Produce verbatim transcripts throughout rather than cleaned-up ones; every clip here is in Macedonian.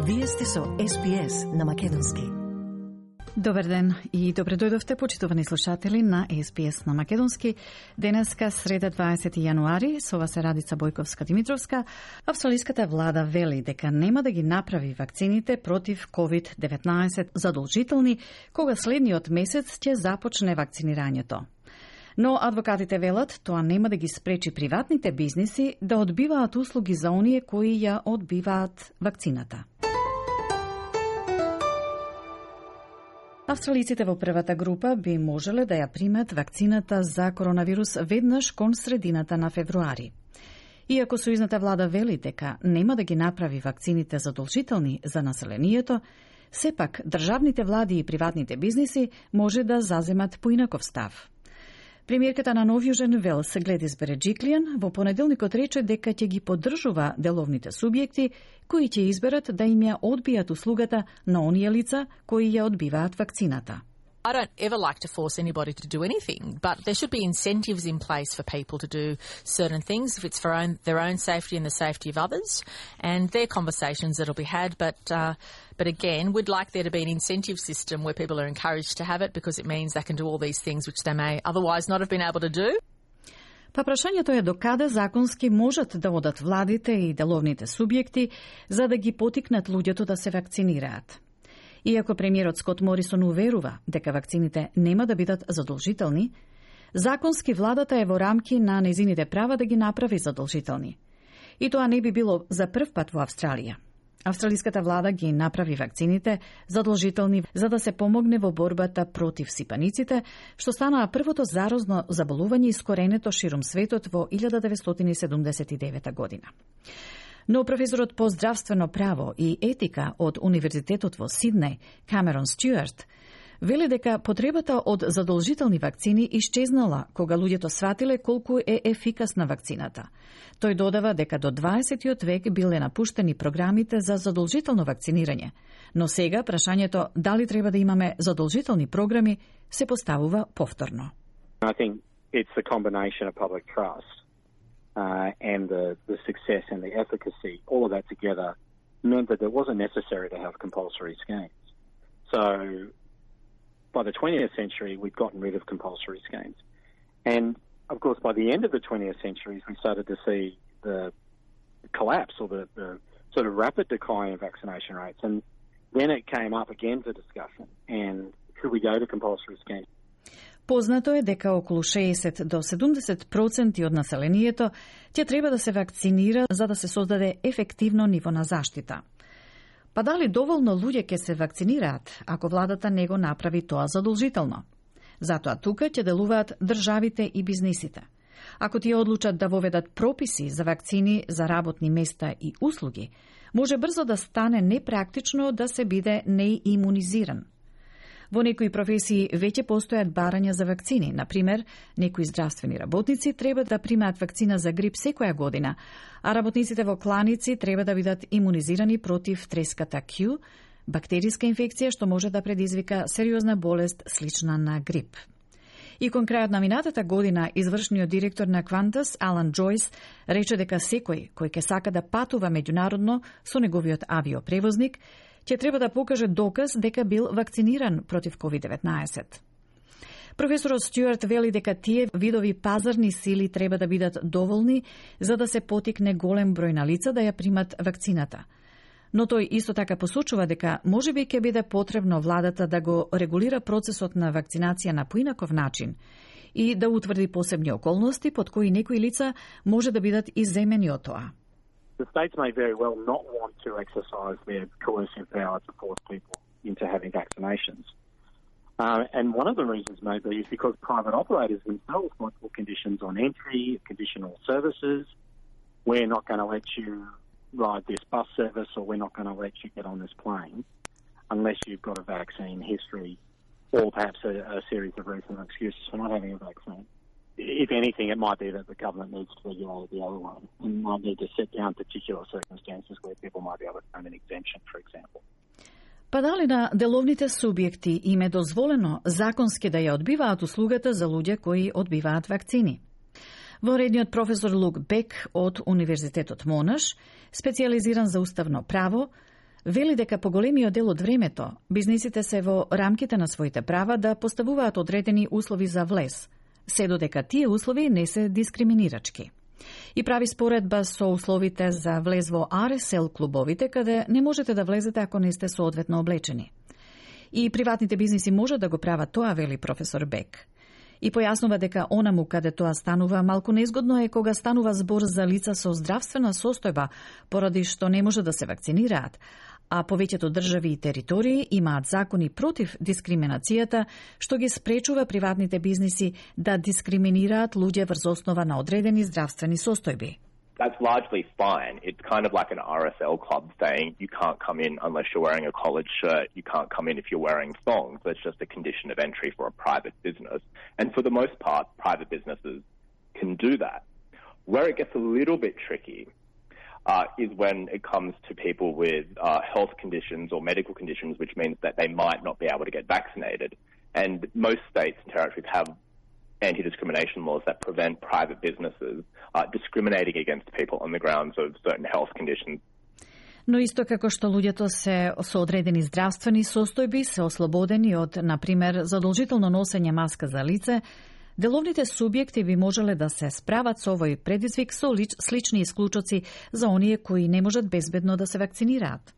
Вие сте со Ес Би Ес на Македонски. Добар ден и добре дојдовте, почитувани слушатели на Ес Би Ес на Македонски. Денеска, среда дваесети јануари, со вас е Радица Бојковска-Димитровска. Австралиската влада вели дека нема да ги направи вакцините против ковид деветнаесет задолжителни, кога следниот месец ќе започне вакцинирањето. Но адвокатите велат тоа нема да ги спречи приватните бизниси да одбиваат услуги за оние кои ја одбиваат вакцината. Австралиците во првата група би можеле да ја примат вакцината за коронавирус веднаш кон средината на февруари. Иако сојузната влада вели дека нема да ги направи вакцините задолжителни за населението, сепак државните влади и приватните бизниси може да заземат поинаков став. Премиерката на Нов Јужен Велс, Гледис Береджиклијан, во понеделникот рече дека ќе ги поддржува деловните субјекти кои ќе изберат да им ја одбијат услугата на оние лица кои ја одбиваат вакцината. I don't ever like to force anybody to do anything, but there should be incentives in place for people to do certain things if it's for own, their own safety and the safety of others, and they're conversations that'll be had, but uh, but again, we'd like there to be an incentive system where people are encouraged to have it because it means they can do all these things which they may otherwise not have been able to do. Па прашањето е докаде законски можат да одат владите и деловните субјекти за да ги потикнат луѓето да се вакцинираат. Иако премиерот Скот Морисон уверува дека вакцините нема да бидат задолжителни, законски владата е во рамки на незините права да ги направи задолжителни. И тоа не би било за прв пат во Австралија. Австралиската влада ги направи вакцините задолжителни за да се помогне во борбата против сипаниците, што станаа првото заразно заболување искоренето ширум светот во илјада деветстотини седумдесет и девета година. Но професорот по здравствено право и етика од Универзитетот во Сиднеј, Камерон Стюарт, вели дека потребата од задолжителни вакцини исчезнала кога луѓето сватиле колку е ефикасна вакцината. Тој додава дека до дваесетиот век биле напуштени програмите за задолжително вакцинирање, но сега прашањето дали треба да имаме задолжителни програми се поставува повторно. I think it's the combination of public trust Uh, and the, the success and the efficacy, all of that together meant that it wasn't necessary to have compulsory schemes. So by the twentieth century, we'd gotten rid of compulsory schemes. And of course, by the end of the twentieth century, we started to see the collapse or the, the sort of rapid decline of vaccination rates. And then it came up again for discussion. And should we go to compulsory schemes? Познато е дека околу шеесет до седумдесет проценти од населението ќе треба да се вакцинира за да се создаде ефективно ниво на заштита. Па дали доволно луѓе ќе се вакцинираат ако владата не го направи тоа задолжително? Затоа тука ќе делуваат државите и бизнисите. Ако тие одлучат да воведат прописи за вакцини за работни места и услуги, може брзо да стане непрактично да се биде неимунизиран. Во некои професии веќе постојат барања за вакцини. Например, некои здравствени работници треба да примаат вакцина за грип секоја година, а работниците во кланици треба да бидат имунизирани против треската Q, бактериска инфекција што може да предизвика сериозна болест слична на грип. И кон крајот на минатата година, извршниот директор на Qantas, Алан Джойс, рече дека секој кој ќе сака да патува меѓународно со неговиот авиопревозник, ќе треба да покаже доказ дека бил вакциниран против ковид деветнаесет. Професорот Стюарт вели дека тие видови пазарни сили треба да бидат доволни за да се потикне голем број на лица да ја примат вакцината. Но тој исто така посочува дека можеби ќе биде потребно владата да го регулира процесот на вакцинација на поинаков начин и да утврди посебни околности под кои некои лица може да бидат изземени од тоа. The states may very well not want to exercise their coercive power to force people into having vaccinations. Uh, and one of the reasons may be is because private operators themselves might put conditions on entry, conditional services. We're not going to let you ride this bus service, or we're not going to let you get on this plane unless you've got a vaccine history, or perhaps a, a series of reasonable excuses for not having a vaccine. If anything, it might be that the government needs to regulate the other one and might need to set down particular circumstances where people might be able to claim an exemption, for example. Па дали на деловните субјекти им е дозволено законски да ја одбиваат услугата за луѓе кои одбиваат вакцини? Воредниот професор Лук Бек од Универзитетот Монаш, специјализиран за уставно право, Вели дека по големиот дел од времето, бизнисите се во рамките на своите права да поставуваат одредени услови за влез, се додека тие услови не се дискриминирачки. И прави споредба со условите за влез во ар ес ел клубовите, каде не можете да влезете ако не сте соодветно облечени. И приватните бизниси може да го прават тоа, вели професор Бек. И појаснува дека онаму каде тоа станува малку незгодно е кога станува збор за лица со здравствена состојба, поради што не може да се вакцинираат, а повеќето држави и територии имаат закони против дискриминацијата, што ги спречува приватните бизниси да дискриминираат луѓе врз основа на одредени здравствени состојби. That's largely fine. It's kind of like an ар ес ел club saying you can't come in unless you're wearing a collared shirt, you can't come in if you're wearing thongs. That's just a condition of entry for a private business. And for the most part, private businesses can do that. Where it gets a little bit tricky uh, is when it comes to people with uh, health conditions or medical conditions, which means that they might not be able to get vaccinated. And most states and territories have anti-discrimination laws that prevent private businesses uh, discriminating against people on the grounds of certain health conditions. Но исто како што луѓето се со одредени здравствени состојби се ослободени од, например, задолжително носење маска за лице, деловните субјекти би можеле да се справат со овој предизвик со слични исклучоци за оние кои не можат безбедно да се вакцинираат.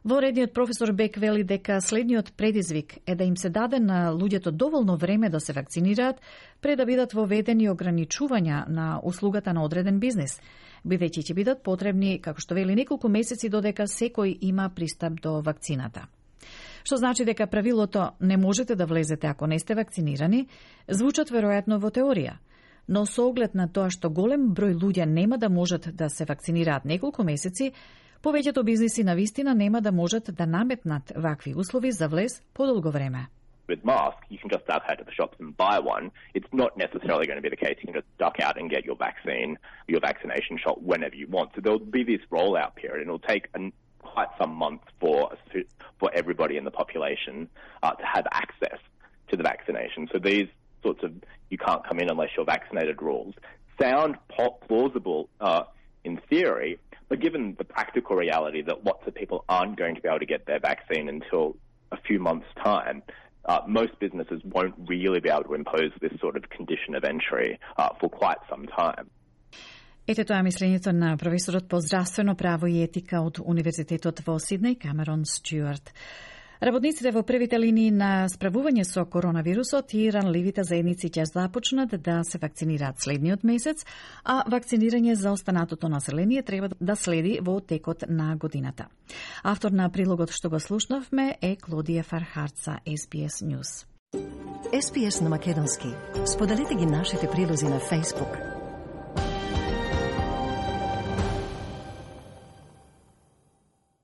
Воредниот професор Бек вели дека следниот предизвик е да им се даде на луѓето доволно време да се вакцинираат пред да бидат воведени ограничувања на услугата на одреден бизнис, бидејќи ќе бидат потребни, како што вели, неколку месеци додека секој има пристап до вакцината. Што значи дека правилото не можете да влезете ако не сте вакцинирани, звучат веројатно во теорија, но со оглед на тоа што голем број луѓе нема да можат да се вакцинираат неколку месеци, повеќето бизниси на вистина нема да можат да наметнат вакви услови за влез подолго време. With masks, you can just duck out to the shops and buy one. It's not necessarily going to be the case. You can just duck out and get your vaccine, your vaccination shot whenever you want. So there'll be this rollout period, and it'll take an, quite some months for for everybody in the population uh, to have access to the vaccination. So these sorts of you can't come in unless you're vaccinated rules sound plausible uh, in theory, but given the practical reality that lots of people aren't going to be able to get their vaccine until a few months' time, uh, most businesses won't really be able to impose this sort of condition of entry uh, for quite some time. Ете тоа мислењето на професорот по здравствено право и етика од Универзитетот во Сиднеј, Камерон Стюарт. Работниците во првите линии на справување со коронавирусот и ранливите заедници ќе започнат да се вакцинираат следниот месец, а вакцинирање за останатото население треба да следи во текот на годината. Автор на прилогот што го слушнавме е Клодија Фархард за Ес Би Ес News. Ес Би Ес на македонски. Споделете ги нашите прилози на Facebook,